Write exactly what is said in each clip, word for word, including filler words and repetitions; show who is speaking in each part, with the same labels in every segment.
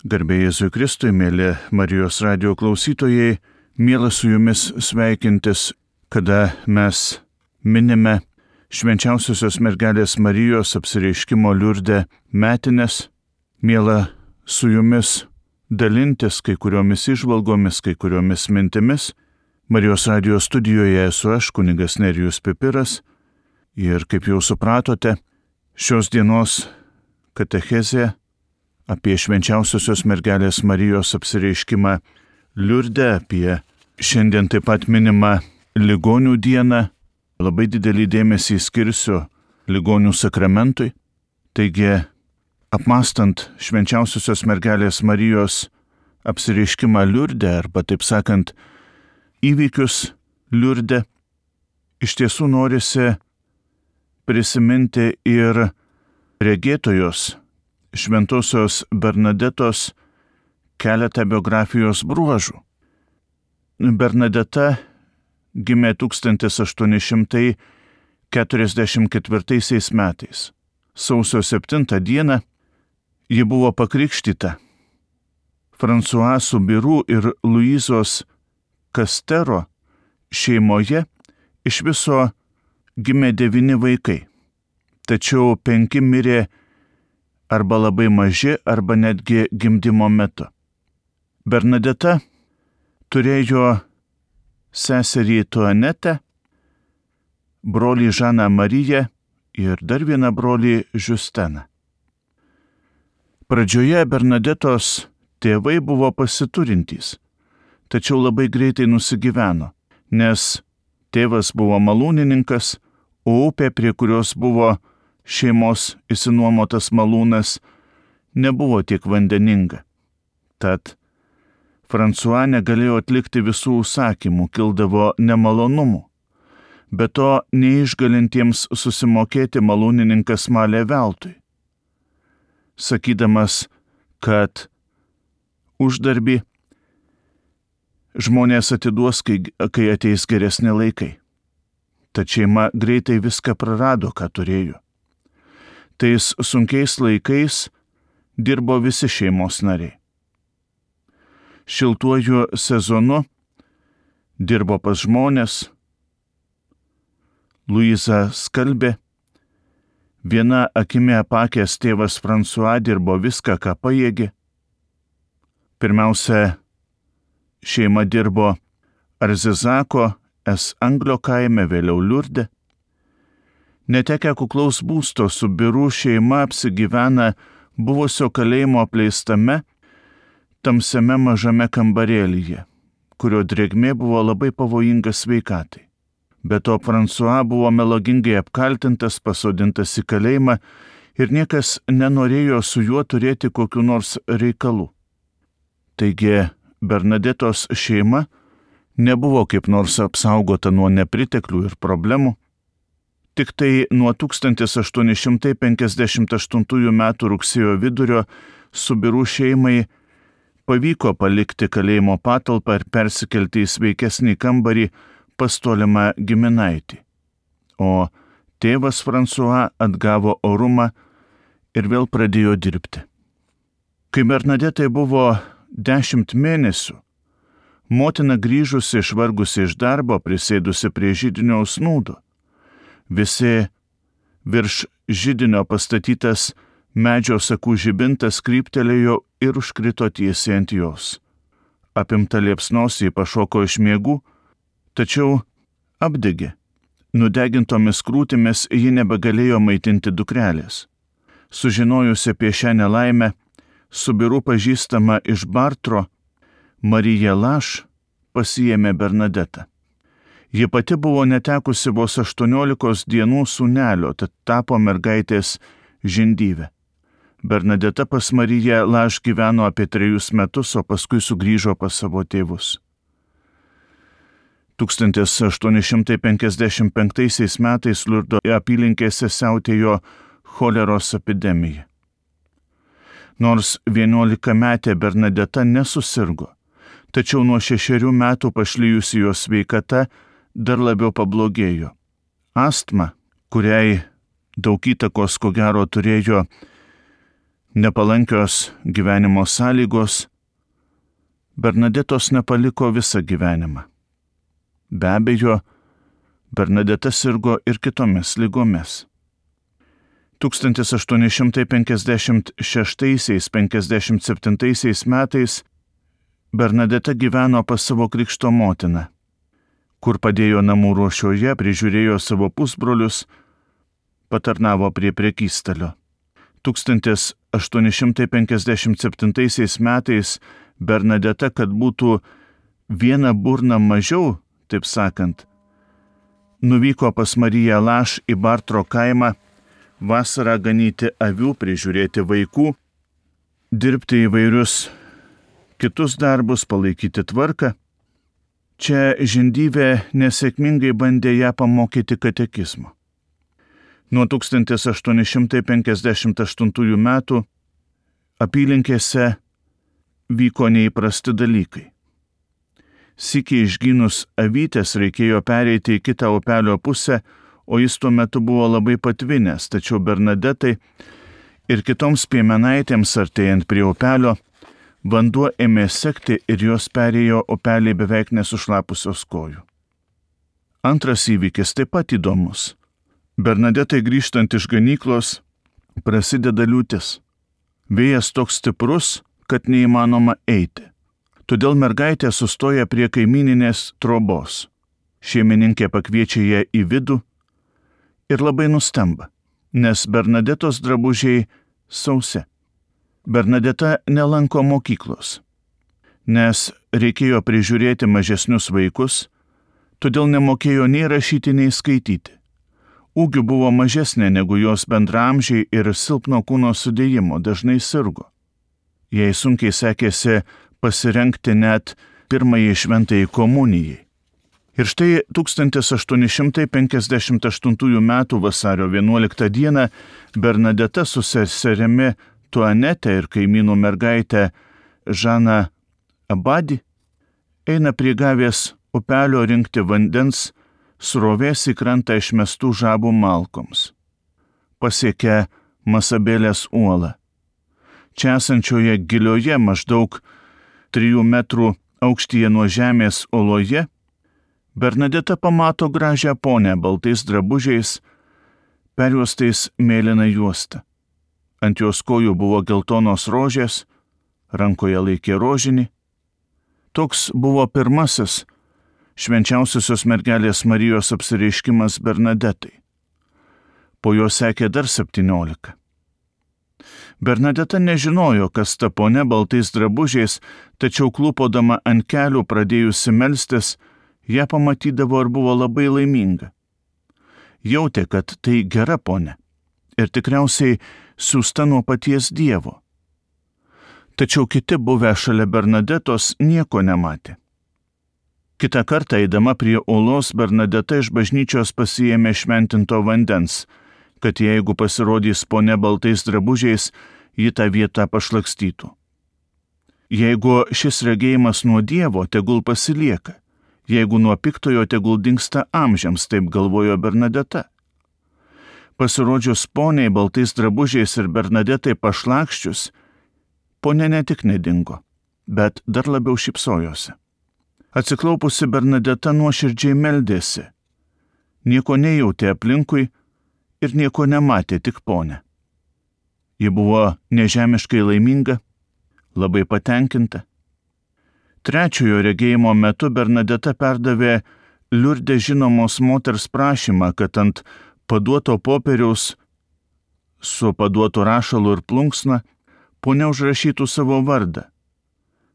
Speaker 1: Garbė Jėzui Kristui, mėly Marijos radijo klausytojai, mielas su jumis sveikintis, kada mes minime švenčiausiosios mergelės Marijos apsireiškimo Liurde metines. Miela su jumis dalintis kai kuriomis įžvalgomis, kai kuriomis mintimis. Marijos radijo studijoje esu aš, kunigas Nerijus Pipiras, ir kaip jau supratote, šios dienos katechezė apie švenčiausiosios mergelės Marijos apsireiškimą Liurde, apie šiandien taip pat minimą ligonių dieną. Labai didelį dėmesį skirsiu ligonių sakramentui. Taigi, apmąstant švenčiausiosios mergelės Marijos apsireiškimą Liurde, arba taip sakant, įvykius Liurde, iš tiesų norisi prisiminti ir regėtojos šventosios Bernadetos keletą biografijos bruožų. Bernadeta gimė tūkstantis aštuoni šimtai keturiasdešimt ketvirtaisiais metais. Sausio septintą dieną ji buvo pakrikštyta. François Soubirous ir Luizos Castero šeimoje iš viso gimė devyni vaikai, tačiau penki mirė arba labai maži, arba netgi gimdymo metu. Bernadeta turėjo seserį Tuanetę, brolį Žaną Mariją ir dar vieną brolį Justeną. Pradžioje Bernadetos tėvai buvo pasiturintys, tačiau labai greitai nusigyveno, nes tėvas buvo malūnininkas, o upė, prie kurios buvo šeimos išsinuomotas malūnas, nebuvo tiek vandeninga. Tad François negalėjo atlikti visų užsakymų, kildavo nemalonumų. Be to, neišgalintiems susimokėti malūnininkas malė veltui, sakydamas, kad uždarbį žmonės atiduos, kai, kai ateis geresni laikai. Tad šeima greitai viską prarado, ką turėjo. Tais sunkiais laikais dirbo visi šeimos nariai. Šiltuoju sezonu dirbo pas žmonės. Luiza skalbė. Viena akimi apakęs tėvas François dirbo viską, ką pajėgė. Pirmiausia, šeima dirbo Arzizako es Anglio kaime, vėliau Liurde. Netekę kuklaus būsto, Soubirous šeima apsigyvena buvusio kalėjimo apleistame, tamsiame mažame kambarėlyje, kurio drėgmė buvo labai pavojinga sveikatai. Be to, François buvo melagingai apkaltintas, pasodintas į kalėjimą ir niekas nenorėjo su juo turėti kokių nors reikalų. Taigi, Bernadetos šeima nebuvo kaip nors apsaugota nuo nepriteklių ir problemų. Tik tai nuo tūkstantis aštuoni šimtai penkiasdešimt aštuntųjų metų rugsėjo vidurio Soubirous šeimai pavyko palikti kalėjimo patalpą ir persikelti į sveikesnį kambarį pas tolimą giminaitį. O tėvas François atgavo orumą ir vėl pradėjo dirbti. Kai Bernadetai buvo dešimt mėnesių, motina grįžusi išvargusi iš darbo, prisėdusi prie židinio snūdo. Visi virš židinio pastatytas medžio sakų žibintas kryptelėjo ir užkrito tiesiai ant jos. Apimta liepsnos ji pašoko iš miegų, tačiau apdegė. Nudegintomis krūtimis ji nebegalėjo maitinti dukrelės. Sužinojusi apie šią nelaimę, Soubirous pažįstama iš Bartro, Marija Laš pasiėmė Bernadetą. Ji pati buvo netekusi vos aštuoniolikos dienų sūnelio, tad tapo mergaitės žindyve. Bernadeta pas Mariją Laš gyveno apie trejus metus, o paskui sugrįžo pas savo tėvus. tūkstantis aštuoni šimtai penkiasdešimt penktaisiais metais Liurdo apylinkėse siautėjo choleros epidemija. Nors vienuolikametė Bernadeta nesusirgo, tačiau nuo šešerių metų pašlijusi jos sveikata dar labiau pablogėjo. Astma, kuriai daug įtakos ko gero turėjo nepalankios gyvenimo sąlygos Bernadetos nepaliko visą gyvenimą. Be abejo, Bernadeta sirgo ir kitomis ligomis. tūkstantis aštuoni šimtai penkiasdešimt šeštaisiais - penkiasdešimt septintaisiais metais Bernadeta gyveno pas savo krikšto motiną, kur padėjo namų ruošoje, prižiūrėjo savo pusbrolius, patarnavo prie prekystalio. tūkstantis aštuoni šimtai penkiasdešimt septintaisiais metais Bernadeta, kad būtų vieną burną mažiau, taip sakant, nuvyko pas Mariją Laš į Bartro kaimą vasarą ganyti avių, prižiūrėti vaikų, dirbti įvairius kitus darbus, palaikyti tvarką. Čia žindyvė nesėkmingai bandė ją pamokyti katekizmo. Nuo tūkstantis aštuoni šimtai penkiasdešimt aštuntųjų metų apylinkėse vyko neįprasti dalykai. Sykį išgynus avytės reikėjo pereiti į kitą upelio pusę, o jis tuo metu buvo labai patvinęs, tačiau Bernadetai ir kitoms piemenaitėms artėjant prie upelio, vanduo ėmė sekti ir jos perėjo upelį beveik nesušlapusios kojų. Antras įvykis taip pat įdomus. Bernadetai grįžtant iš ganyklos prasideda liūtis. Vėjas toks stiprus, kad neįmanoma eiti. Todėl mergaitė sustoja prie kaimyninės trobos. Šeimininkė pakviečia ją į vidų ir labai nustemba, nes Bernadetos drabužiai sausi. Bernadeta nelanko mokyklos, nes reikėjo prižiūrėti mažesnius vaikus, todėl nemokėjo nei rašyti, nei skaityti. Ūgiu buvo mažesnė negu jos bendraamžiai ir silpno kūno sudėjimo, dažnai sirgo. Jai sunkiai sekėsi pasirengti net pirmąjį šventajai komunijai. Ir štai tūkstantis aštuoni šimtai penkiasdešimt aštuntųjų metų vasario vienuoliktą dieną Bernadeta su seserimi Tuanete ir kaimynų mergaitė Žana Abadi eina prie Gavės upelio rinkti vandens srovės į krantą išmestų žabų malkoms. Pasiekia Masabelės uolą. Čia esančioje gilioje maždaug trijų metrų aukštyje nuo žemės oloje Bernadeta pamato gražią ponę baltais drabužiais, perjuostais mėlyna juosta. Ant jos kojų buvo geltonos rožės, rankoje laikė rožinį. Toks buvo pirmasis švenčiausiosios mergelės Marijos apsireiškimas Bernadetai. Po jo sekė dar septyniolika. Bernadeta nežinojo, kas ta ponia baltais drabužiais, tačiau klūpodama ant kelių pradėjusi melstis, ją pamatydavo ir buvo labai laiminga. Jautė, kad tai gera ponia ir tikriausiai siųsta nuo paties Dievo. Tačiau kiti buvę šalia Bernadetos nieko nematė. Kitą kartą eidama prie uolos Bernadeta iš bažnyčios pasiėmė šventinto vandens, kad jeigu pasirodys ponia baltais drabužiais, ji tą vietą pašlakstytų. Jeigu šis regėjimas nuo Dievo, tegul pasilieka. Jeigu nuo piktojo, tegul dingsta amžiams, taip galvojo Bernadeta. Pasirodžius poniai baltais drabužiais ir Bernadetai pašlakščius, ponia ne tik nedingo, bet dar labiau šypsojosi. Atsiklaupusi Bernadeta nuoširdžiai meldėsi. Nieko nejautė aplinkui ir nieko nematė, tik ponę. Ji buvo nežemiškai laiminga, labai patenkinta. Trečiojo regėjimo metu Bernadeta perdavė Liurde žinomos moters prašymą, kad ant paduoto popieriaus su paduotu rašalu ir plunksna ponia užrašytų savo vardą,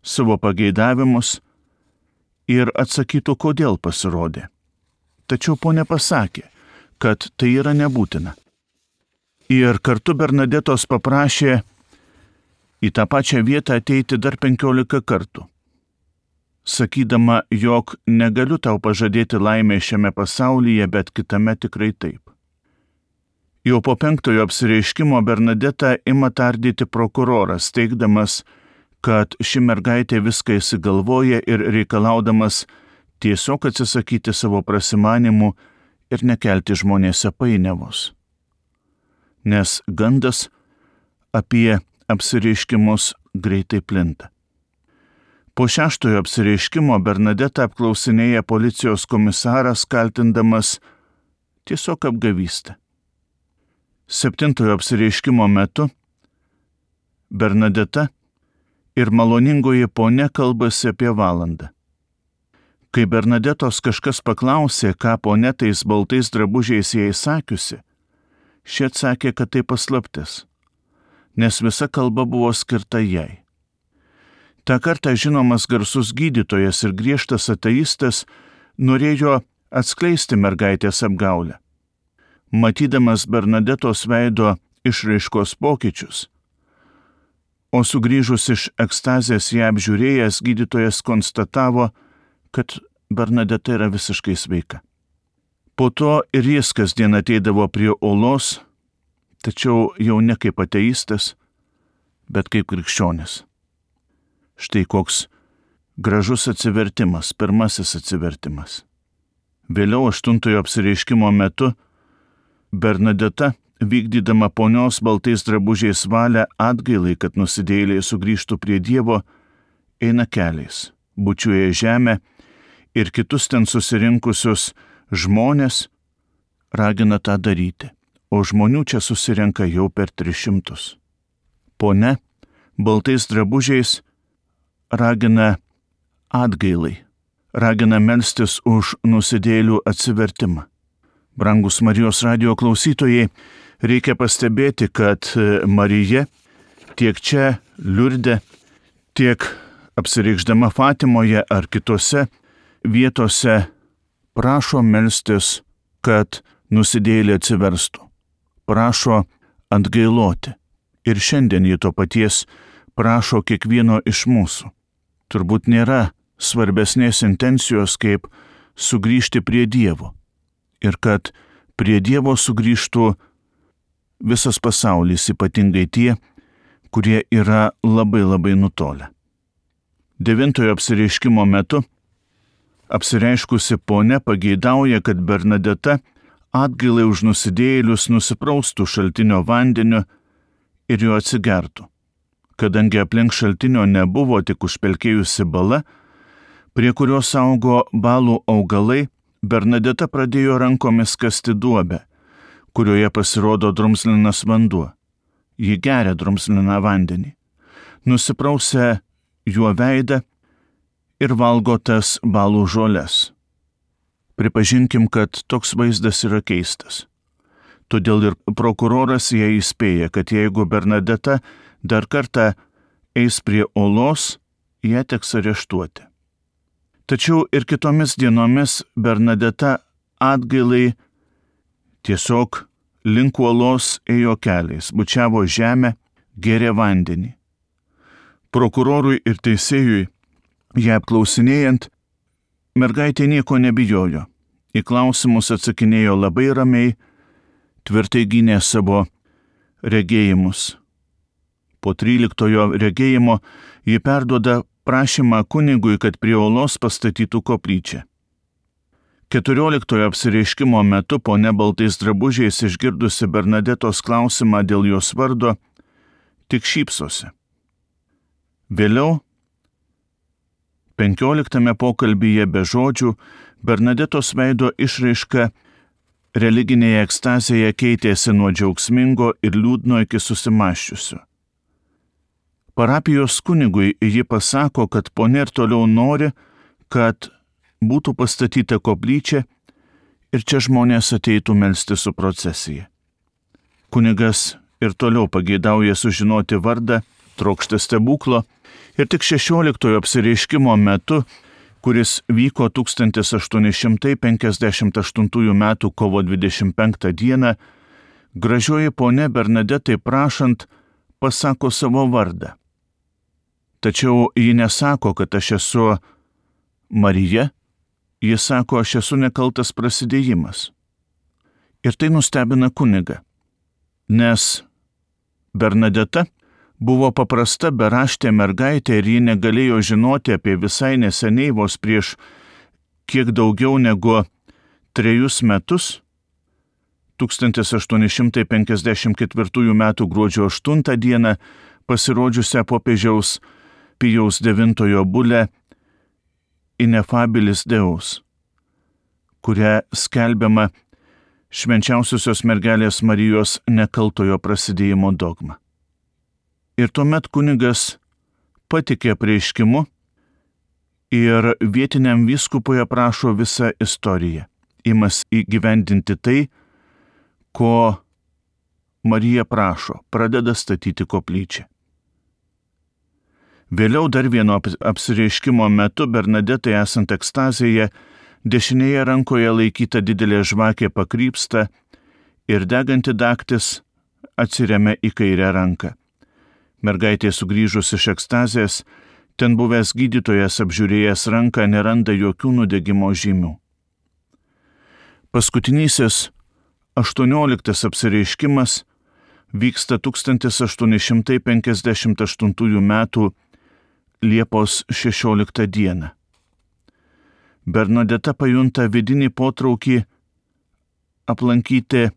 Speaker 1: savo pageidavimus ir atsakytų, kodėl pasirodė. Tačiau ponia pasakė, kad tai yra nebūtina. Ir kartu Bernadetos paprašė į tą pačią vietą ateiti dar penkiolika kartų, sakydama, jog negaliu tau pažadėti laimę šiame pasaulyje, bet kitame tikrai taip. Jau po penktojo apsireiškimo Bernadeta ima tardyti prokuroras, teigdamas, kad ši mergaitė viską įsigalvoja ir reikalaudamas tiesiog atsisakyti savo prasimanimų ir nekelti žmonėse painiavos. Nes gandas apie apsireiškimus greitai plinta. Po šeštojo apsireiškimo Bernadetą apklausinėja policijos komisaras, kaltindamas tiesiog apgavystę. Septintojo apsireiškimo metu Bernadeta ir maloningoji ponia kalbasi apie valandą. Kai Bernadetos kažkas paklausė, ką ponia tais baltais drabužiais jai sakiusi, ši atsakė, kad tai paslaptis, nes visa kalba buvo skirta jai. Ta kartą žinomas garsus gydytojas ir griežtas ateistas norėjo atskleisti mergaitės apgaulę. Matydamas Bernadetos veido išraiškos pokyčius, o sugrįžus iš ekstazės ją apžiūrėjęs, gydytojas konstatavo, kad Bernadeta yra visiškai sveika. Po to ir jis kasdien ateidavo prie olos, tačiau jau ne kaip ateistas, bet kaip krikščionis. Štai koks gražus atsivertimas, pirmasis atsivertimas. Vėliau aštuntojo apsireiškimo metu Bernadeta, vykdydama ponios baltais drabužiais valią atgailai, kad nusidėjėliai sugrįžtų prie Dievo, eina keliais, bučiuoja žemę ir kitus ten susirinkusius žmonės ragina tą daryti, o žmonių čia susirenka jau per tris šimtus. Ponia baltais drabužiais ragina atgailai, ragina melstis už nusidėjėlių atsivertimą. Brangus Marijos radijo klausytojai, reikia pastebėti, kad Marija tiek čia Liurde, tiek apsireikšdama Fatimoje ar kitose vietose prašo melstis, kad nusidėjėliai atsiverstų, prašo atgailoti. Ir šiandien jį to paties prašo kiekvieno iš mūsų. Turbūt nėra svarbesnės intencijos, kaip sugrįžti prie Dievo. Ir kad prie Dievo sugrįžtų visas pasaulis, ypatingai tie, kurie yra labai labai nutolę. Devintojo apsireiškimo metu apsireiškusi ponia pageidauja, kad Bernadeta atgailai už nusidėjėlius nusipraustų šaltinio vandeniu ir jo atsigertų. Kadangi aplink šaltinio nebuvo, tik užpelkėjusi bala, prie kurios augo balų augalai, Bernadeta pradėjo rankomis kasti duobę, kurioje pasirodo drumzlinas vanduo. Ji geria drumzliną vandenį, nusiprausia juo veidą ir valgo tas balų žoles. Pripažinkim, kad toks vaizdas yra keistas. Todėl ir prokuroras ją įspėja, kad jeigu Bernadeta dar kartą eis prie olos, ją teks areštuoti. Tačiau ir kitomis dienomis Bernadeta atgailai tiesiog link uolos ėjo keliais, bučiavo žemę, gėrė vandenį. Prokurorui ir teisėjui ją apklausinėjant, mergaitė nieko nebijojo. Į klausimus atsakinėjo labai ramiai, tvirtai gynė savo regėjimus. Po tryliktojo regėjimo ji perduoda prašymą kunigui, kad prie olos pastatytų koplyčią. Keturioliktojo apsireiškimo metu ponia baltais drabužiais išgirdusi Bernadetos klausimą dėl jos vardo, tik šypsosi. Vėliau, penkioliktame pokalbyje be žodžių, Bernadetos veido išraiška religinėje ekstazėje keitėsi nuo džiaugsmingo ir liūdno iki susimąsčiusio. Parapijos kunigui ji pasako, kad ponia ir toliau nori, kad būtų pastatyta koplyčia ir čia žmonės ateitų melstis su procesija. Kunigas ir toliau pageidauja sužinoti vardą, trokšta stebuklo ir tik šešioliktojo apsireiškimo metu, kuris vyko tūkstantis aštuoni šimtai penkiasdešimt aštuntųjų metų kovo dvidešimt penktą dieną, gražioji ponia Bernadetai prašant pasako savo vardą. Tačiau ji nesako, kad aš esu Marija, ji sako, aš esu nekaltas prasidėjimas. Ir tai nustebina kunigą, nes Bernadeta buvo paprasta beraštė mergaitė ir ji negalėjo žinoti apie visai neseniai vos prieš kiek daugiau negu trejus metus, tūkstantis aštuoni šimtai penkiasdešimt ketvirtųjų metų gruodžio aštuntą dieną, pasirodžiusią popiežiaus Pijaus devintojo bulę Ineffabilis Deus, kuria skelbiama švenčiausiosios mergelės Marijos nekaltojo prasidėjimo dogma. Ir tuomet kunigas patikė apreiškimu ir vietiniam vyskupui aprašo visą istoriją, imas įgyvendinti tai, ko Marija prašo, pradeda statyti koplyčią. Vėliau dar vieno apsireiškimo metu Bernadetai esant ekstazėje, dešinėje rankoje laikyta didelė žvakė pakrypsta ir deganti dagtis atsiremia į kairę ranką. Mergaitė sugrįžus iš ekstazės, ten buvęs gydytojas apžiūrėjęs ranką neranda jokių nudegimo žymių. Paskutinysis aštuonioliktas apsireiškimas vyksta tūkstantis aštuoni šimtai penkiasdešimt aštuntųjų metų Liepos šešioliktą dieną. Bernadeta pajunta vidinį potraukį aplankyti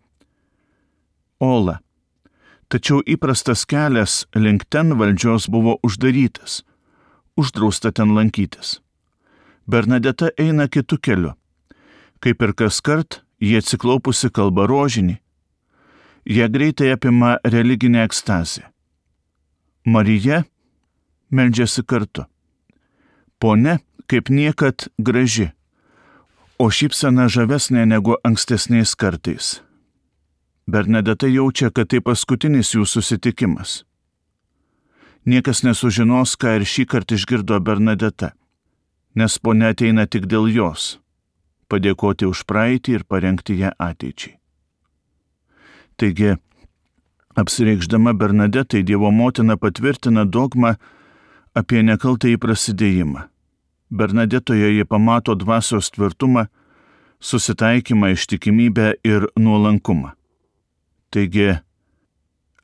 Speaker 1: Olą, tačiau įprastas kelias link ten valdžios buvo uždarytas, uždrausta ten lankytis. Bernadeta eina kitu keliu. Kaip ir kaskart, jie atsiklaupusi kalba rožinį. Jie greitai apima religinę ekstazę. Marija meldžiasi kartu. Ponia kaip niekad graži, o šypsena žavesnė negu ankstesniais kartais. Bernadeta jaučia, kad tai paskutinis jų susitikimas. Niekas nesužinos, ką ir šį kartą išgirdo Bernadeta, nes ponia ateina tik dėl jos, padėkoti už praeitį ir parengti ją ateičiai. Taigi, apsireikšdama Bernadetai, Dievo motina patvirtina dogmą apie nekaltąjį prasidėjimą. Bernadetoje jie pamato dvasios tvirtumą, susitaikymą, ištikimybę ir nuolankumą. Taigi,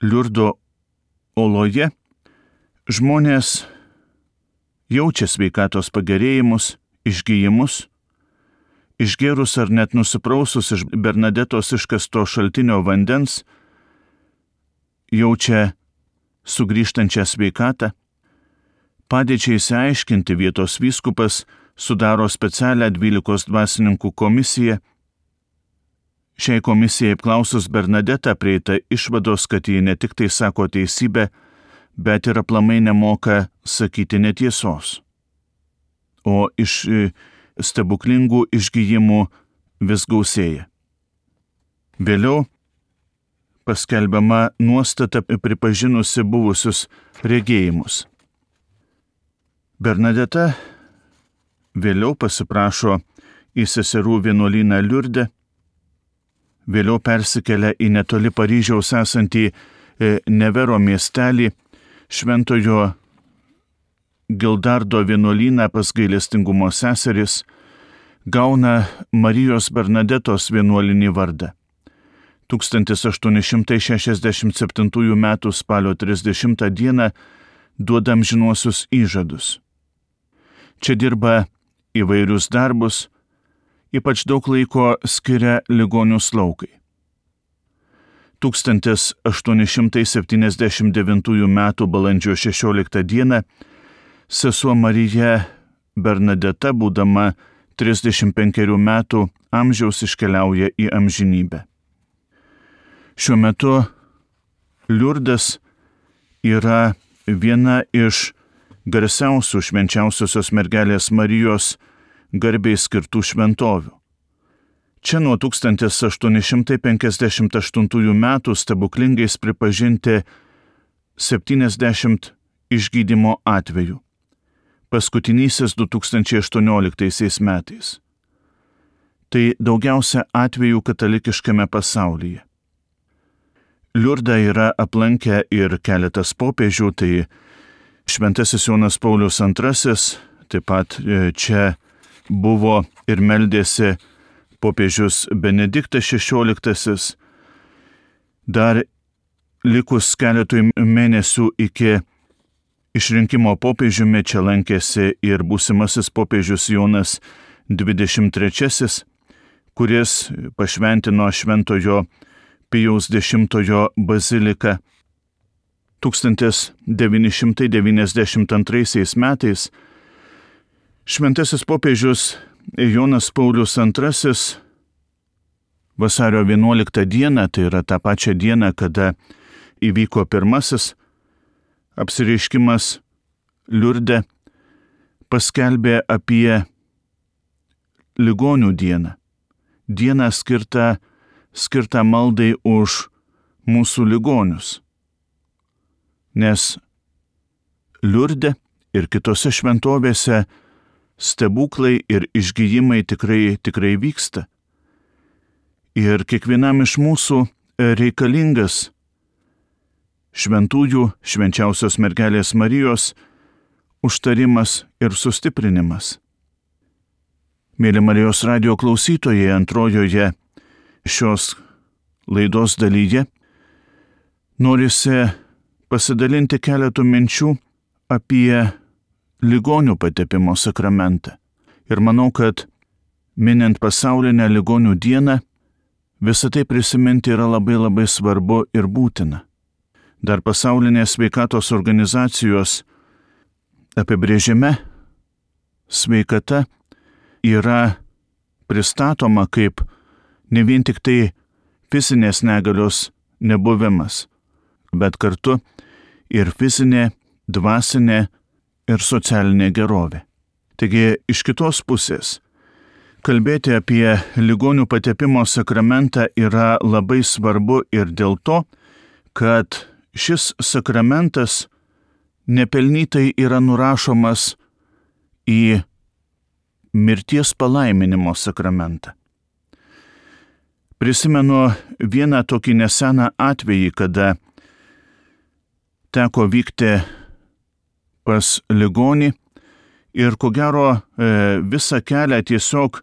Speaker 1: Liurdo oloje žmonės jaučia sveikatos pagerėjimus, išgijimus, išgėrus ar net nusiprausus iš Bernadetos iškasto šaltinio vandens, jaučia sugrįžtančią sveikatą. Padėčiai išsiaiškinti vietos vyskupas sudaro specialią dvylikos dvasininkų komisiją. Šiai komisijai apklausus Bernadetą prieita išvados, kad ji ne tik tai sako teisybę, bet ir aplamai nemoka sakyti netiesos. O iš stebuklingų išgijimų vis gausėja. Vėliau paskelbiama nuostata pripažinusi buvusius regėjimus. Bernadeta vėliau pasiprašo į seserų vienuolyną Liurde, vėliau persikelia į netoli Paryžiaus esantį Nevero miestelį, šventojo Gildardo vienuolyną pas gailestingumo seseris, gauna Marijos Bernadetos vienuolinį vardą. tūkstantis aštuoni šimtai šešiasdešimt septintųjų metų spalio trisdešimtą dieną duoda amžinuosius įžadus. Čia dirba įvairius darbus, ypač daug laiko skiria ligonių slaugai. tūkstantis aštuoni šimtai septyniasdešimt devintųjų metų balandžio šešioliktą dieną sesuo Marija Bernadeta, būdama trisdešimt penkerių metų amžiaus, iškeliauja į amžinybę. Šiuo metu Liurdas yra viena iš garsiausių švenčiausiosios mergelės Marijos garbei skirtų šventovių. Čia nuo tūkstantis aštuoni šimtai penkiasdešimt aštuntųjų metų stebuklingais pripažinti septyniasdešimt išgydymo atvejų, paskutinysis du tūkstančiai aštuonioliktaisiais metais. Tai daugiausia atvejų katalikiškame pasaulyje. Liurdą yra aplankę ir keletas popiežių, tai šventasis Jonas Paulius antrasis, taip pat čia buvo ir meldėsi popiežius Benediktas šešioliktasis. Dar likus keletui mėnesių iki išrinkimo popiežiumi čia lankėsi ir būsimasis popiežius Jonas dvidešimt trečiasis, kuris pašventino šventojo Pijaus dešimtojo baziliką. tūkstantis devyni šimtai devyniasdešimt antraisiais metais šventasis popiežius Jonas Paulius antrasis vasario vienuoliktą dieną, tai yra tą pačią dieną, kada įvyko pirmasis apsireiškimas Liurde, paskelbė apie ligonių dieną. Dieną skirtą, skirtą maldai už mūsų ligonius. Nes Liurde ir kitose šventovėse stebuklai ir išgijimai tikrai, tikrai vyksta. Ir kiekvienam iš mūsų reikalingas šventųjų, švenčiausios mergelės Marijos užtarimas ir sustiprinimas. Mėly Marijos radijo klausytojai, antrojoje šios laidos dalyje norisi pasidalinti keletų minčių apie ligonių patepimo sakramentą. Ir manau, kad minint pasaulinę ligonių dieną, visą tai prisiminti yra labai labai svarbu ir būtina. Dar pasaulinės sveikatos organizacijos apibrėžime sveikata yra pristatoma kaip ne vien tik tai fizinės negalios nebuvimas, bet kartu ir fizinė, dvasinė ir socialinė gerovė. Taigi, iš kitos pusės, kalbėti apie ligonių patepimo sakramentą yra labai svarbu ir dėl to, kad šis sakramentas nepelnytai yra nurašomas į mirties palaiminimo sakramentą. Prisimenu vieną tokį neseną atvejį, kada teko vykti pas ligonį ir ko gero visą kelią tiesiog,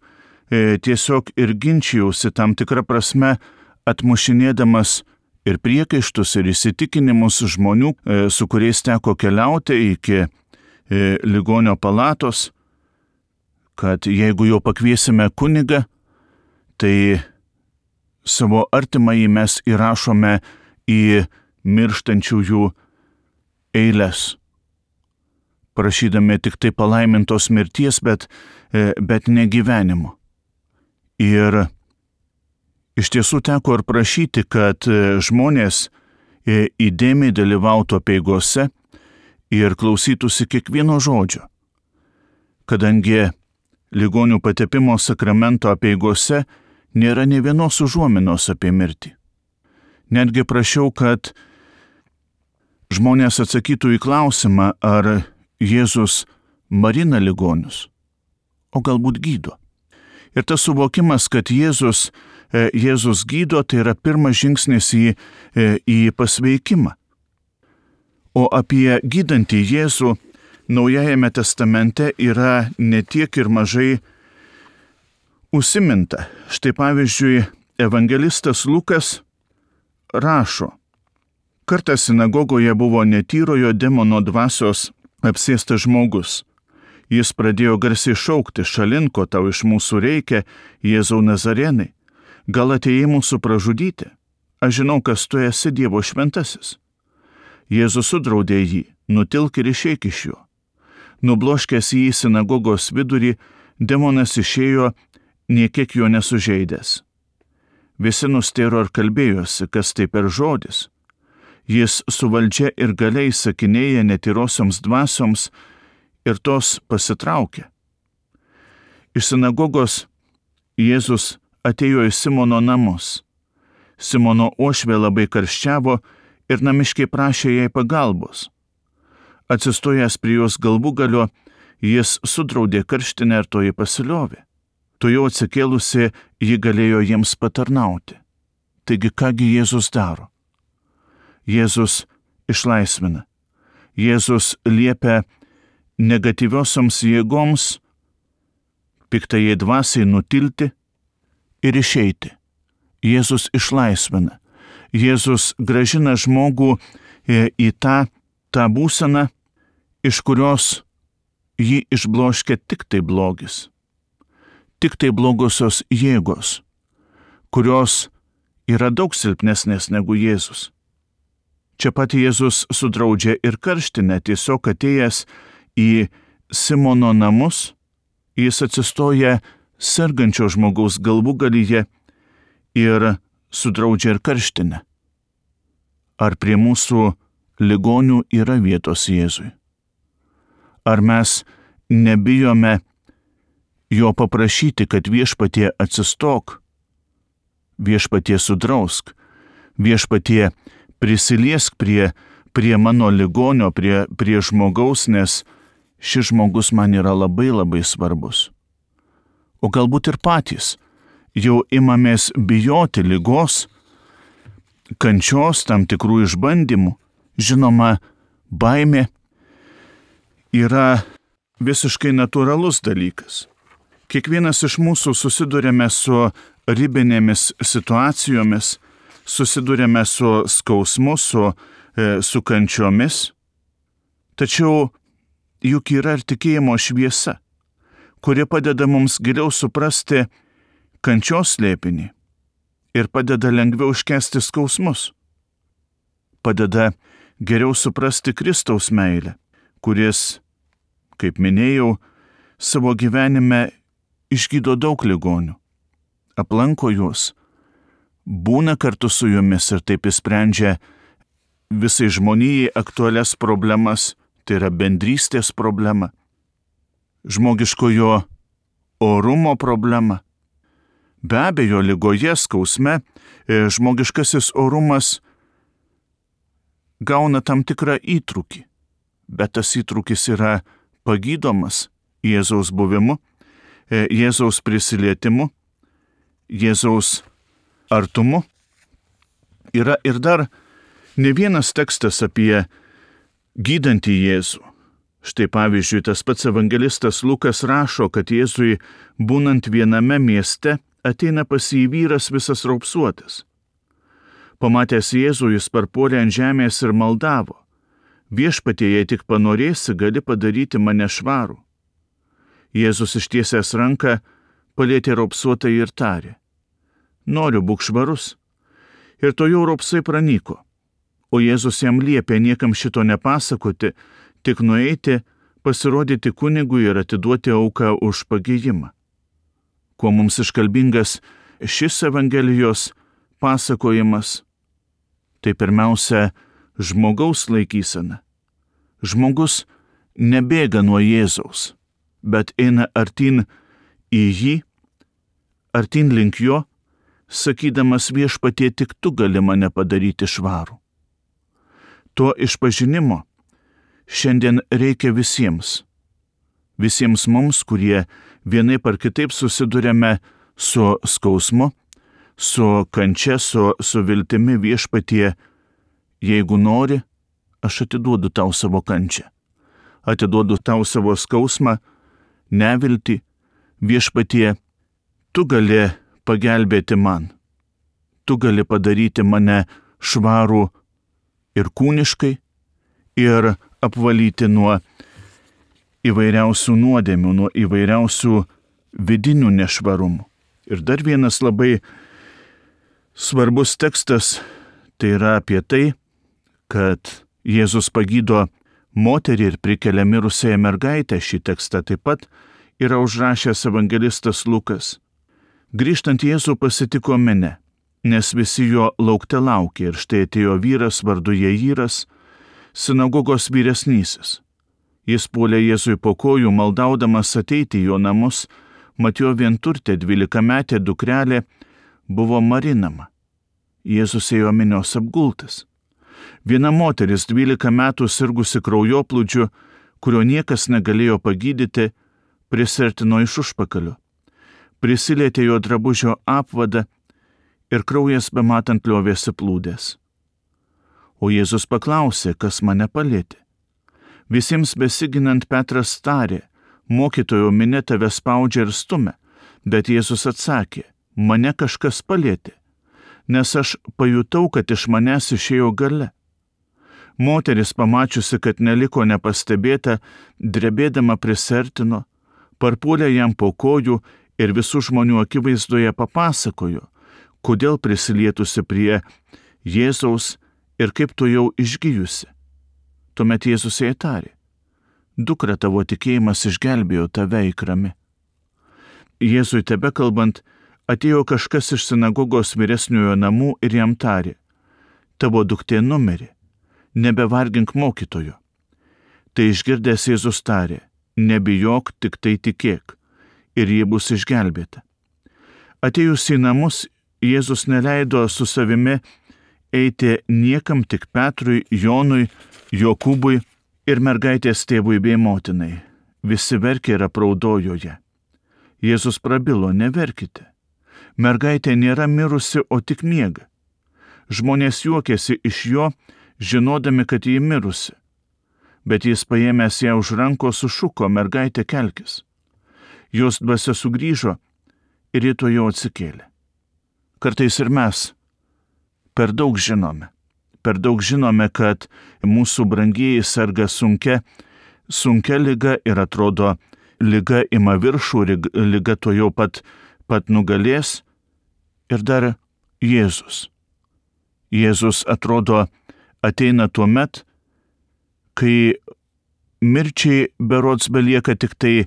Speaker 1: tiesiog ir ginčijausi tam tikrą prasme, atmušinėdamas ir priekaištus, ir įsitikinimus žmonių, su kuriais teko keliauti iki ligonio palatos, kad jeigu jau pakviesime kunigą, tai savo artimąjį mes įrašome į mirštančiųjų eiles, prašydami tik tai palaimintos mirties, bet, bet ne gyvenimo. Ir iš tiesų teko ir prašyti, kad žmonės įdėmiai dalyvautų apeigose ir klausytųsi kiekvieno žodžio, kadangi ligonių patepimo sakramento apeigose nėra nė vienos užuominos apie mirtį. Netgi prašiau, kad žmonės atsakytų į klausimą, ar Jėzus marina ligonius, o galbūt gydo. Ir tas suvokimas, kad Jėzus, Jėzus gydo, tai yra pirmas žingsnis į, į pasveikimą. O apie gydantį Jėzų Naujajame testamente yra ne tiek ir mažai užsiminta. Štai pavyzdžiui, evangelistas Lukas rašo: kartą sinagogoje buvo netyrojo demono dvasios apsėstas žmogus. Jis pradėjo garsiai šaukti: šalin, ko tau iš mūsų reikia, Jėzau Nazarenai? Gal atėjai mūsų pražudyti? Aš žinau, kas tu esi, Dievo šventasis. Jėzus sudraudė jį: nutilk ir išeik iš jo. Nubloškęs jį į sinagogos vidurį, demonas išėjo, niekiek jo nesužeidęs. Visi nustėro ir kalbėjosi, kas tai per žodis. Jis su valdžia ir galia įsakinėja netyrosioms dvasioms ir tos pasitraukė. Iš sinagogos Jėzus atėjo į Simono namus. Simono uošvė labai karščiavo ir namiškiai prašė jai pagalbos. Atsistojęs prie jos galvūgalio, jis sudraudė karštinę ir toji pasiliovė. Tuojau atsikėlusi, ji galėjo jiems patarnauti. Taigi kągi Jėzus daro? Jėzus išlaisvina. Jėzus liepia negatyviosioms jėgoms, piktajai dvasiai nutilti ir išeiti. Jėzus išlaisvina. Jėzus grąžina žmogų į tą, tą būseną, iš kurios jį išbloškia tik tai blogis. Tik tai blogosios jėgos, kurios yra daug silpnesnės negu Jėzus. Čia pat Jėzus sudraudžia ir karštinę, tiesiog atėjęs į Simono namus, jis atsistoja sergančio žmogaus galvūgalyje ir sudraudžia ir karštinę. Ar prie mūsų ligonių yra vietos Jėzui? Ar mes nebijome jo paprašyti, kad viešpatie atsistok, viešpatie sudrausk, viešpatie prisiliesk prie, prie mano ligonio, prie, prie žmogaus, nes šis žmogus man yra labai labai svarbus. O galbūt ir patys jau imamės bijoti ligos, kančios, tam tikrų išbandymų. Žinoma, baimė yra visiškai natūralus dalykas. Kiekvienas iš mūsų susidurėme su ribinėmis situacijomis, susidurėme su skausmu, su, e, su kančiomis. Tačiau juk yra ir tikėjimo šviesa, kuri padeda mums giliau suprasti kančios slėpinį ir padeda lengviau iškęsti skausmus. Padeda geriau suprasti Kristaus meilę, kuris, kaip minėjau, savo gyvenime išgydo daug ligonių, aplanko juos, būna kartu su jumis ir taip išsprendžia visai žmonijai aktualias problemas, tai yra bendrystės problema, žmogiškojo orumo problema. Be abejo, ligoje, skausme, žmogiškasis orumas gauna tam tikrą įtrūkį, bet tas įtrūkis yra pagydomas Jėzaus buvimu, Jėzaus prisilietimu, Jėzaus artumu. Yra ir dar ne vienas tekstas apie gydantį Jėzų. Štai pavyzdžiui, tas pats evangelistas Lukas rašo, kad Jėzui būnant viename mieste ateina pas jį vyras visas raupsuotas. Pamatęs Jėzų, jis parpuolė ant žemės ir maldavo: viešpatie, jei tik panorėsi, gali padaryti mane švarų. Jėzus ištiesęs ranką palietė raupsuotą ir tarė: noriu, būk švarus. Ir to jau raupsai pranyko. O Jėzus jam liepė niekam šito nepasakoti, tik nueiti, pasirodyti kunigui ir atiduoti auką už pagijimą. Kuo mums iškalbingas šis Evangelijos pasakojimas? Tai pirmiausia, žmogaus laikysena. Žmogus nebėga nuo Jėzaus, bet eina artin į jį, artin link jo, sakydamas: viešpatie, tik tu gali mane padaryti švarų. To išpažinimo šiandien reikia visiems. Visiems mums, kurie vienaip ar kitaip susidurėme su skausmu, su kančia, su, su viltimi: viešpatie, jeigu nori, aš atiduodu tau savo kančią. Atiduodu tau savo skausmą, neviltį. Viešpatie, tu gali pagelbėti man. Tu gali padaryti mane švarų ir kūniškai, ir apvalyti nuo įvairiausių nuodėmių, nuo įvairiausių vidinių nešvarumų. Ir dar vienas labai svarbus tekstas, tai yra apie tai, kad Jėzus pagydo moterį ir prikelia mirusiąją mergaitę. Šį tekstą taip pat yra užrašęs evangelistas Lukas. Grįžtant Jėzų pasitiko minia, nes visi jo laukte laukė, ir štai atėjo vyras vardu Jairas, sinagogos vyresnysis. Jis puolė Jėzui po kojų, maldaudamas ateiti į jo namus, mat jo vienturtė dvylikametė dukrelė buvo marinama. Jėzus ėjo minios apgultas. Viena moteris dvylika metų sirgusi kraujoplūdžiu, kurio niekas negalėjo pagydyti, prisertino iš užpakalio. Prisilietė jo drabužio apvadą ir kraujas bematant liovėsi plūdęs. O Jėzus paklausė, kas mane palietė. Visiems besiginant Petras tarė: mokytojo, minia tave spaudžia ir stumia. Bet Jėzus atsakė: mane kažkas palietė, nes aš pajutau, kad iš manęs išėjo galia. Moteris, pamačiusi, kad neliko nepastebėta, drebėdama prisertino, parpuolė jam po kojų ir visų žmonių akivaizdoje papasakojo, kodėl prisilietusi prie Jėzaus ir kaip tu jau išgijusi. Tuomet Jėzus jai tarė: dukra, tavo tikėjimas išgelbėjo tave, eik rami. Jėzui tebekalbant, atėjo kažkas iš sinagogos vyresniojo namų ir jam tarė: tavo duktė numirė, nebevargink mokytojo. Tai išgirdęs Jėzus tarė: nebijok, tik tai tikėk, ir ji bus išgelbėta. Atėjus į namus, Jėzus neleido su savimi eiti niekam, tik Petrui, Jonui, Jokūbui ir mergaitės tėvui bei motinai. Visi verkė ir apraudojo ją. Jėzus prabilo: neverkite. Mergaitė nėra mirusi, o tik miega. Žmonės juokėsi iš jo, žinodami, kad ji mirusi. Bet jis paėmęs ją už rankos sušuko: mergaitė, kelkis. Jos dvasia sugrįžo ir ji tuojau atsikėlė. Kartais ir mes per daug žinome. Per daug žinome, kad mūsų brangieji serga sunkia, sunkia liga ir atrodo, liga ima viršų, liga tuojau pat, pat nugalės. Ir dar Jėzus. Jėzus atrodo ateina tuo met, kai mirčiai berods belieka tik tai e,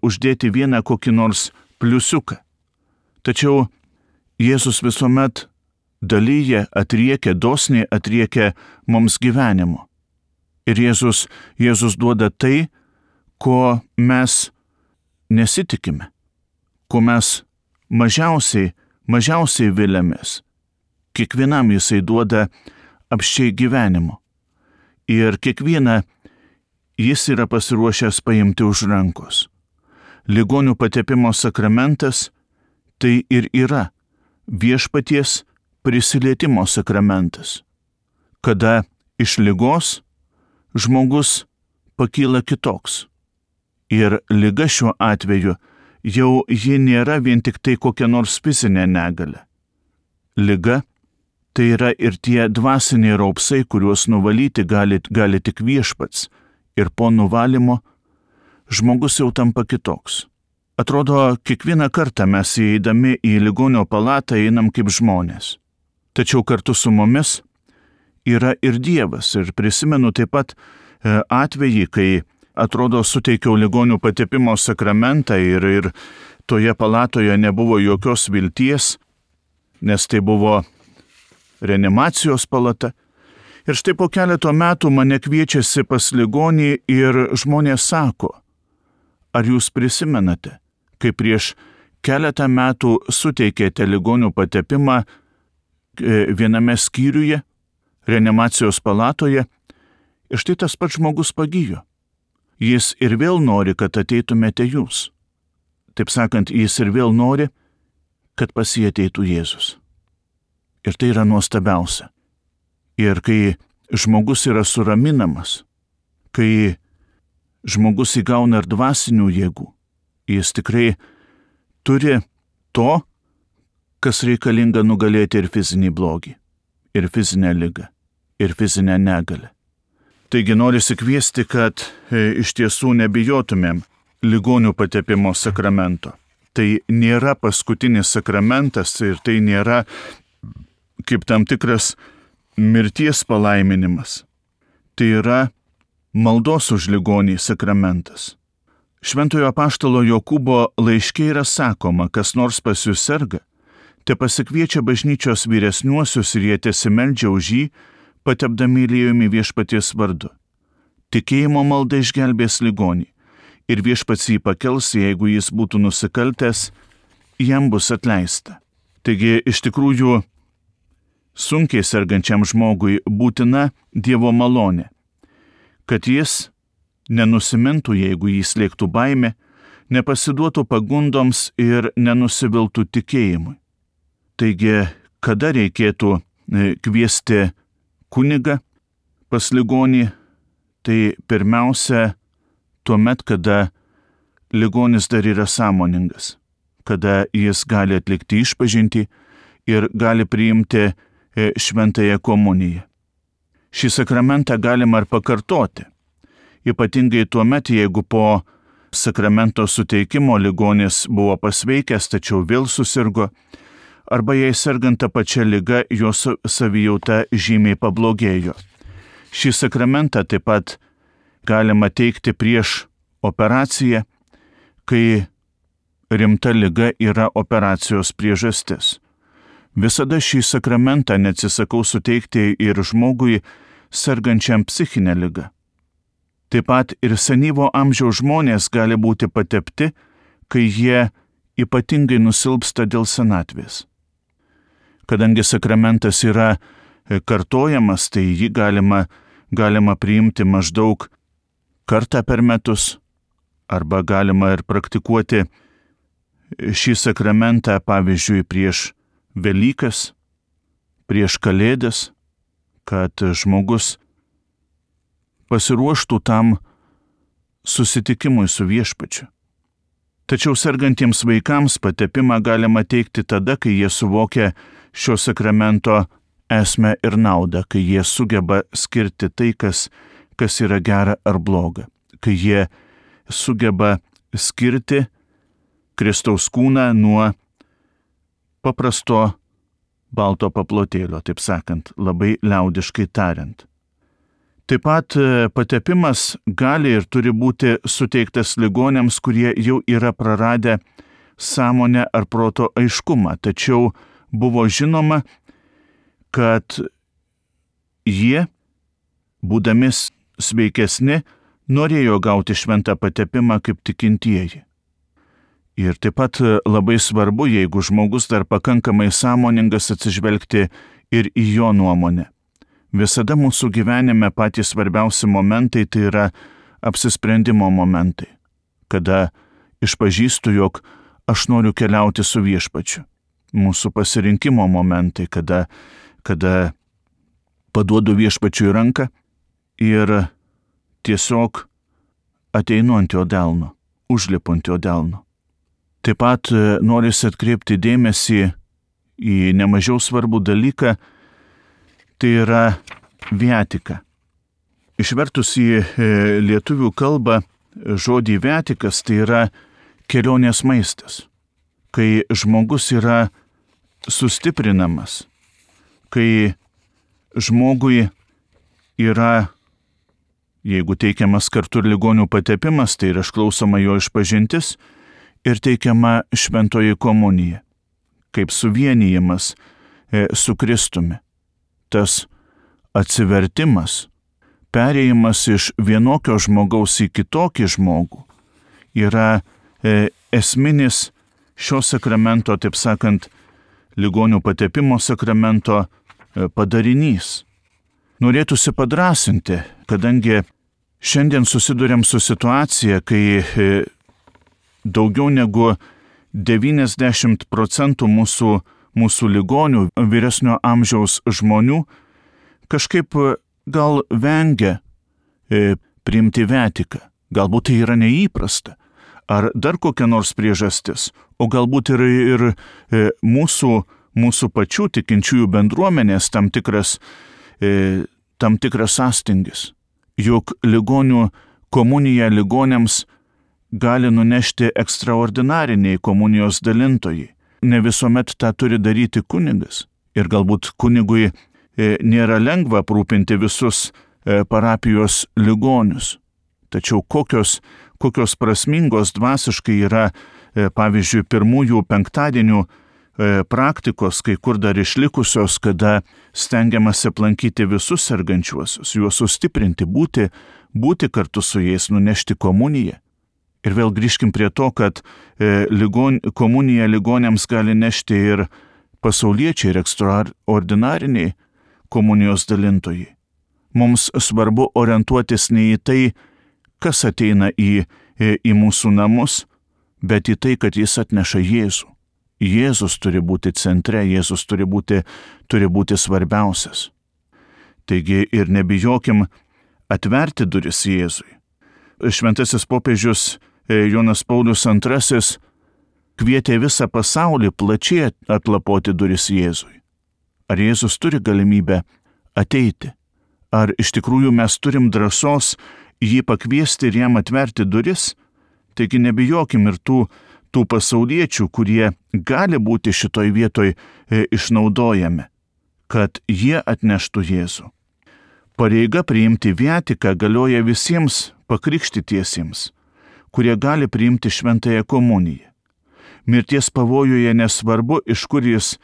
Speaker 1: uždėti vieną kokį nors pliusiuką. Tačiau Jėzus visuomet dalyja, atriekia, dosniai atriekia mums gyvenimo. Ir Jėzus, Jėzus duoda tai, ko mes nesitikime, ko mes mažiausiai, mažiausiai viliamės. Kiekvienam jisai duoda apsčiai gyvenimo. Ir kiekvieną jis yra pasiruošęs paimti už rankos. Ligonių patepimo sakramentas tai ir yra viešpaties prisilietimo sakramentas, kada iš ligos žmogus pakyla kitoks. Ir liga šiuo atveju jau ji nėra vien tik tai kokia nors fizinė negalia. Liga tai yra ir tie dvasiniai raupsai, kuriuos nuvalyti gali, gali tik viešpats, ir po nuvalymo žmogus jau tampa kitoks. Atrodo, kiekvieną kartą mes įeidami į ligonio palatą einam kaip žmonės. Tačiau kartu su mumis yra ir Dievas. Ir prisimenu taip pat atvejį, kai atrodo suteikiau ligonių patepimo sakramentą ir, ir toje palatoje nebuvo jokios vilties, nes tai buvo reanimacijos palata. Ir štai po keleto metų mane kviečiasi pas ligonį ir žmonės sako: ar jūs prisimenate, kai prieš keletą metų suteikėte ligonių patepimą viename skyriuje, reanimacijos palatoje, ir štai tas pats žmogus pagijo. Jis ir vėl nori, kad ateitumėte jūs. Taip sakant, jis ir vėl nori, kad pas jį ateitų Jėzus. Ir tai yra nuostabiausia. Ir kai žmogus yra suraminamas, kai žmogus įgauna ir dvasinių jėgų, jis tikrai turi to, kas reikalinga nugalėti ir fizinį blogį, ir fizinę ligą, ir fizinę negalę. Taigi norisi kviesti, kad e, iš tiesų nebijotumėm ligonių patepimo sakramento. Tai nėra paskutinis sakramentas ir tai nėra kaip tam tikras mirties palaiminimas. Tai yra maldos už ligonį sakramentas. Šventojo apaštalo Jokūbo laiške yra sakoma: kas nors pas jūs serga, te pasikviečia bažnyčios vyresniuosius ir jie tesimeldžia už jį, patepdami aliejumi viešpaties vardu. Tikėjimo malda išgelbės ligonį, ir viešpats jį pakels, jeigu jis būtų nusikaltęs, jam bus atleista. Taigi iš tikrųjų sunkiai sergančiam žmogui būtina Dievo malonė, kad jis nenusimintų, jeigu jį slėgtų baimė, nepasiduotų pagundoms ir nenusiviltų tikėjimui. Taigi, kada reikėtų kviesti kunigą pas ligonį, tai pirmiausia tuomet, kada ligonis dar yra sąmoningas, kada jis gali atlikti išpažintį ir gali priimti šventąją komuniją. Šį sakramentą galima ir pakartoti, ypatingai tuomet, jeigu po sakramento suteikimo ligonis buvo pasveikęs, tačiau vėl susirgo, arba jei sergant tą pačią ligą, jos savijauta žymiai pablogėjo. Šį sakramentą taip pat galima teikti prieš operaciją, kai rimta liga yra operacijos priežastis. Visada šį sakramentą neatsisakau suteikti ir žmogui sergančiam psichinę ligą. Taip pat ir senyvo amžiaus žmonės gali būti patepti, kai jie ypatingai nusilpsta dėl senatvės. Kadangi sakramentas yra kartojamas, tai jį galima, galima priimti maždaug kartą per metus, arba galima ir praktikuoti šį sakramentą, pavyzdžiui, prieš Velykas, prieš Kalėdas, kad žmogus pasiruoštų tam susitikimui su Viešpačiu. Tačiau sergantiems vaikams patepimą galima teikti tada, kai jie suvokia šio sakramento esmę ir naudą, kai jie sugeba skirti tai, kas, kas yra gera ar bloga, kai jie sugeba skirti Kristaus kūną nuo paprasto balto paplotėlio, taip sakant, labai liaudiškai tariant. Taip pat patepimas gali ir turi būti suteiktas ligoniams, kurie jau yra praradę sąmonę ar proto aiškumą, tačiau buvo žinoma, kad jie, būdami sveikesni, norėjo gauti šventą patepimą kaip tikintieji. Ir taip pat labai svarbu, jeigu žmogus dar pakankamai sąmoningas, atsižvelgti ir į jo nuomonę. Visada mūsų gyvenime patys svarbiausi momentai tai yra apsisprendimo momentai, kada išpažįstu, jog aš noriu keliauti su Viešpačiu. Mūsų pasirinkimo momentai, kada, kada paduodu Viešpačiui ranką ir tiesiog ateinu ant jo delno, užlipu ant jo delno. Taip pat norisi atkreipti dėmesį į nemažiau svarbų dalyką, tai yra viatika. Išvertus į lietuvių kalbą žodį viatikas, tai yra kelionės maistas, kai žmogus yra sustiprinamas, kai žmogui yra, jeigu teikiamas kartu ir ligonių patepimas, tai yra išklausoma jo išpažintis, ir teikiama šventoji komunija, kaip suvienijimas e, su Kristumi. Tas atsivertimas, perėjimas iš vienokio žmogaus į kitokį žmogų yra e, esminis šio sakramento, taip sakant, ligonių patepimo sakramento e, padarinys. Norėtųsi padrasinti, kadangi šiandien susiduriam su situacija, kai e, daugiau negu devyniasdešimt procentų mūsų, mūsų ligonių, vyresnio amžiaus žmonių kažkaip gal vengia e, priimti viatiką. Galbūt tai yra neįprasta, ar dar kokia nors priežastis, o galbūt ir, ir e, mūsų, mūsų pačių tikinčiųjų bendruomenės tam tikras, e, tam tikras sąstingis. Juk ligonių komunija ligoniams gali nunešti ekstraordinariniai komunijos dalintojai. Ne visuomet tą turi daryti kunigas. Ir galbūt kunigui e, nėra lengva aprūpinti visus e, parapijos ligonius. Tačiau kokios, kokios prasmingos dvasiškai yra, e, pavyzdžiui, pirmųjų penktadienių e, praktikos, kai kur dar išlikusios, kada stengiamasi aplankyti visus sergančiuosius, juos sustiprinti, būti, būti kartu su jais, nunešti komuniją. Ir vėl grįžkim prie to, kad e, ligon, komuniją ligoniams gali nešti ir pasauliečiai, ir ekstraordinariniai komunijos dalintojai. Mums svarbu orientuotis ne į tai, kas ateina į, į, į mūsų namus, bet į tai, kad jis atneša Jėzų. Jėzus turi būti centre, Jėzus turi būti, turi būti svarbiausias. Taigi ir nebijokim atverti duris Jėzui. Šventasis popiežius Jonas Paulius antrasis kvietė visą pasaulį plačiai atlapoti duris Jėzui. Ar Jėzus turi galimybę ateiti? Ar iš tikrųjų mes turim drąsos jį pakviesti ir jam atverti duris? Taigi nebijokim ir tų, tų pasauliečių, kurie gali būti šitoj vietoj e, išnaudojami, kad jie atneštų Jėzų. Pareiga priimti viatiką galioja visiems pakrikštytiesiems, kurie gali priimti šventąją komuniją. Mirties pavojuje nesvarbu, iš kur jis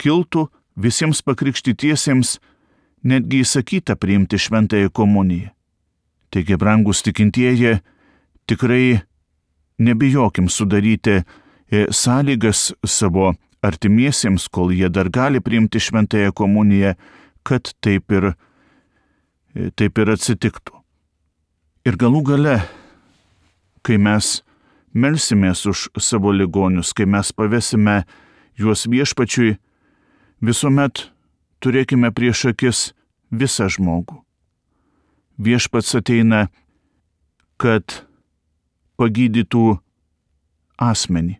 Speaker 1: kiltų, visiems pakrikštytiesiems netgi įsakyta priimti šventąją komuniją. Taigi, brangus tikintieji, tikrai nebijokim sudaryti sąlygas savo artimiesiems, kol jie dar gali priimti šventąją komuniją, kad taip ir, taip ir atsitiktų. Ir galų gale, kai mes melsimės už savo ligonius, kai mes pavesime juos viešpačiui, visuomet turėkime prieš akis visą žmogų. Viešpats ateina, kad pagydytų asmenį,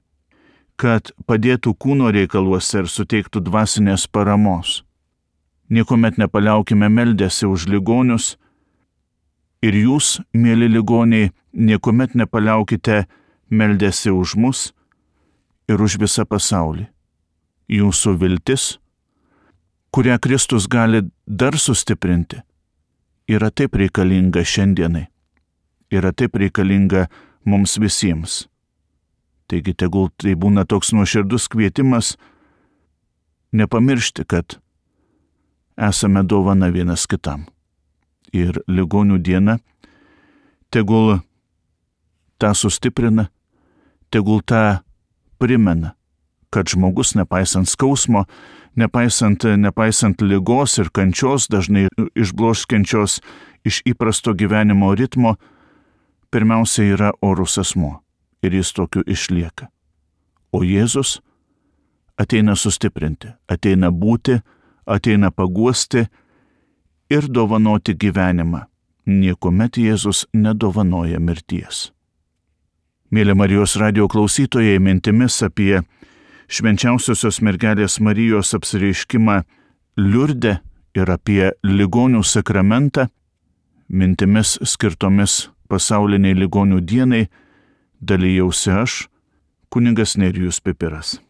Speaker 1: kad padėtų kūno reikaluose ir suteiktų dvasinės paramos. Niekuomet nepaliaukime meldėsi už ligonius ir jūs, mėly ligoniai, niekuomet nepaliaukite meldėsi už mus ir už visą pasaulį. Jūsų viltis, kurią Kristus gali dar sustiprinti, yra taip reikalinga šiandienai, yra taip reikalinga mums visiems. Taigi tegul tai būna toks nuoširdus kvietimas nepamiršti, kad esame dovana vienas kitam. Ir ligonių diena tegul tą sustiprina, tegul tą primena, kad žmogus, nepaisant skausmo, nepaisant, nepaisant ligos ir kančios, dažnai išbloškiančios iš įprasto gyvenimo ritmo, pirmiausia yra orus asmuo ir jis tokiu išlieka. O Jėzus ateina sustiprinti, ateina būti, ateina paguosti ir dovanoti gyvenimą. Niekuomet Jėzus nedovanoja mirties. Mėly Marijos radijo klausytojai, mintimis apie švenčiausiosios mergelės Marijos apsireiškimą Liurde ir apie ligonių sakramentą, mintimis skirtomis pasauliniai ligonių dienai, dalijausi aš, kunigas Nerijus Pipiras.